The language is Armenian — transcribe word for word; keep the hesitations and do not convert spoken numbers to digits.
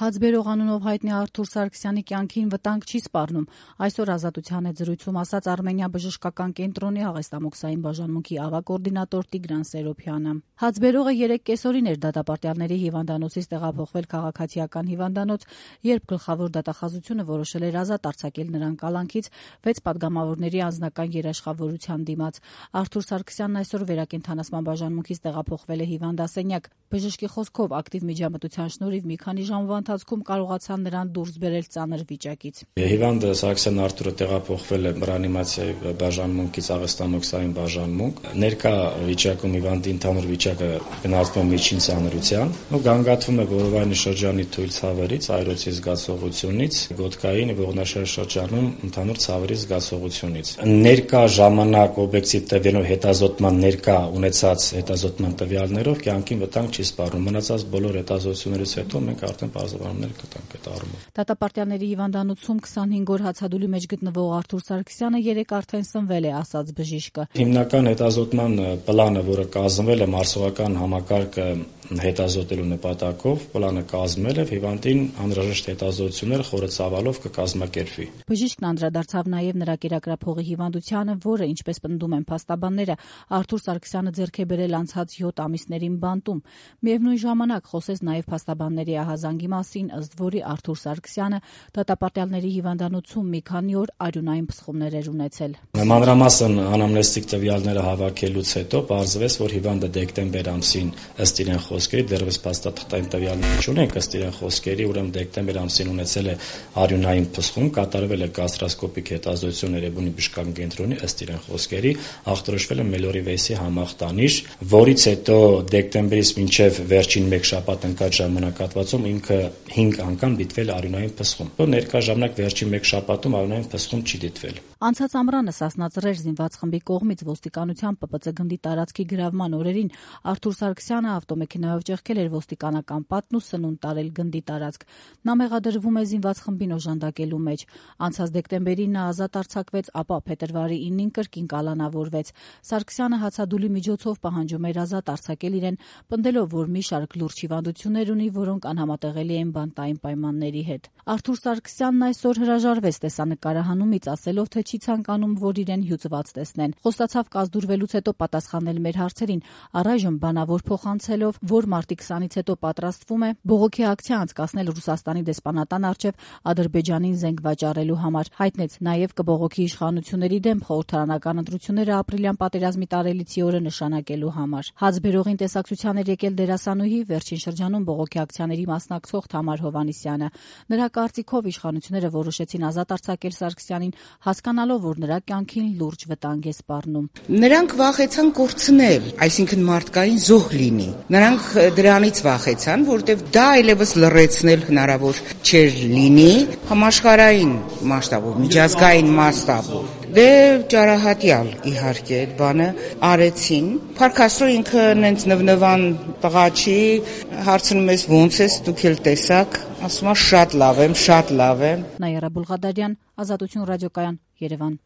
Հացբերող անունով հայտնի Արթուր Սարգսյանի կյանքին վտանգ չի սպառնում, այսօր Ազատության հետ զրույցում ասաց Արմենիա բժշկական կենտրոնի աղեստամոքսային բաժանմունքի ավագ-կոորդինատոր Տիգրան Սերոբյանը։ Հացբերողը երեկ կեսօրին էր դատապարտյալների հիվանդանոցից տեղափոխվել քաղաքացիական հիվանդանոց, երբ գլխավոր դատախազությունը որոշել էր ազատ արձակել նրան կալանքից վեց պատգամավորների անձնական երաշխավորության դիմաց։ Արթուր Սարգսյանն այսօր վերակենդանացման բաժանմունքից տեղափոխվել է հիվանդասենյակ։ Բժշկի խոսքով ակտիվ միջամտության շնորհիվ մի քանի ժամվա ընթացքում կարողացան նրան դուրս բերել ծանր վիճակից։ Հիվանդը Սարգսյան Արթուրը տեղափոխվել է ռեանիմացիայի բաժանմունքից աղեստամոքսային բաժանմունք։ Ներկա վիճակում հիվանդի ընդհանուր վիճակը գնահատվում է միջին ծանրության ու գանգատվում է որովայնի շրջանի թույլ ցավերից, այրոցի զգացողությունից, գոտկային ողնաշարի շրջանում ընդհանուր ցավերի զգացողությունից։ Ներկա ժամանակ օբյեկտիվ տվյալներով հետազոտման ներկա ունեցած հետազոտման տվյալներով կյանքին վտանգ չի սպառնում։ Մնացած բոլոր հետազոտություններից հետո մենք արդեն բարձրաբանումներ կտանք այդ առումով։ Դատապարտյալների հիվանդանոցում քսանհինգ օր հացադուլի մեջ գտնվող Արթուր Սարգսյանը երեկ արդեն սնվել է, ասաց բժիշկը։ Հիմնական հետազոտման պլանը, որը կազմվել է մարսողական համակարգը հետազոտելու նպատակով, պլանը կազմել է հիվանդին անհրաժեշտ հետազոտությունները խորը ծավալով կկազմակերպվի։ Բժիշկն անդրադարձավ նաև նրա կերակրափողի հիվանդությանը, որը, ինչպես պնդում են փաստաբանները, Արթուր Սարգսյանը ձեռք է բերել անցած յոթ ամիսներին բանտում։ Միևնույն ժամանակ խոսեց նաև փաստաբանների ահազանգի մասին, ըստ որի Արթուր Սարգսյանը դատապարտյալների հիվանդանոցում մի քանի օր արյունային փսխումներ էր ունեցել։ Մանրամասն անամնեստիկ տվյալները հավաքելուց հետո պարզվեց, որ հիվանդը դեկտեմբեր ամսին ըստ իրեն խոսքերի դեռևս փաստաթղթային տվյալներ չունենք, ըստ իրեն խոսքերի, ուրեմն դեկտեմբեր ամսին ունեցել է արյունային փսխում, կատարվել է գաստրոսկոպիկ հետազոտություն Էրեբունի բժշկական կենտրոնի, ըստ իրեն խոսքերի, ախտորոշվել է Մելորի վեյսի համախտանիշ, որից հետո դեկտեմբերից մինչև վերջին մեկ շաբաթ ընկած ժամանակահատվածում ինքը հինգ անգամ դիտվել արյունային փսխում։ Ներկա ժամանակ վերջին մեկ շաբաթում արյունային փսխում չի դիտվել։ Անցած ամռանը Սասնաձրեր զինված խմբի կողմից ոստիկանության Պ Պ Ծ գնդի տարածքի գրավման օրերին Արթուր Սարգսյանը ավտոմեքենայով ճեղքել էր ոստիկանական պատն ու սնունդ տարել գնդի տարածք։ Նա մեղադրվում է զինված խմբին օժանդակելու մեջ։ Անցած դեկտեմբերին նա ազատ արձակվեց, ապա փետրվարի իննին կրկին կալանավորվեց։ Սարգսյանը հացադուլի միջոցով պահանջում էր ազատ արձակել իրեն, պնդելով, որ մի շարք լուրջ հիվանդություններ ունի, որոնք անհամատեղելի են բանտային պայմանների հետ։ Արթուր Սարգսյանն այսօր հրաժարվեց տեսանկարահանումից, ասելով, թե չի ցանկանում, որ իրեն հյուծված տեսնեն։ Խոստացավ կազդուրվելուց հետո պատասխանել մեր հարցերին, առայժմ բանավոր փոխանցելով, որ մարտի քսանից հետո պատրաստվում է բողոքի ակցիա անցկացնել Ռուսաստանի դեսպանատան առջև Ադրբեջանին զենք վաճառելու համար։ Հայտնեց նաև կբողոքի իշխանությունների դեմ խորհրդարանական ընտրությունները ապրիլյան պատերազմի տարելիցի օրը նշանակելու համար։ Հացբերողին տեսակցության էր եկել դերասանուհի, վերջին շրջանում բողոքի ակցիաների մասնակցող Թամար Հովհաննիսյանը։ Նրա կարծիքով իշխանությունները որոշեցին ազատ արձակել Սարգսյանին, հասկանալով, որ նրա կյանքին լուրջ վտանգ է սպառնում։ Նրանք վախեցան կորցնել, այսինքն մարդկային զոհ լինի։ Նրանք դրանից վախեցան, որտեղ դա այլևս լռեցնել հնարավոր չէր լինի համաշխարհային մասշտաբով, միջազգային մասշտաբով։ Դե ճարահատյալ իհարկե այդ բանը արեցին։ Փառք Աստծո, ինքը նենց նվնվան տղա չի, հարցնում ես ոնց ես, դուք էլ տեսաք, ասում է շատ լավ եմ, շատ լավ եմ։ Նաիրա Բուլղադարյան, Ազատություն ռադիոկայան, Երևան։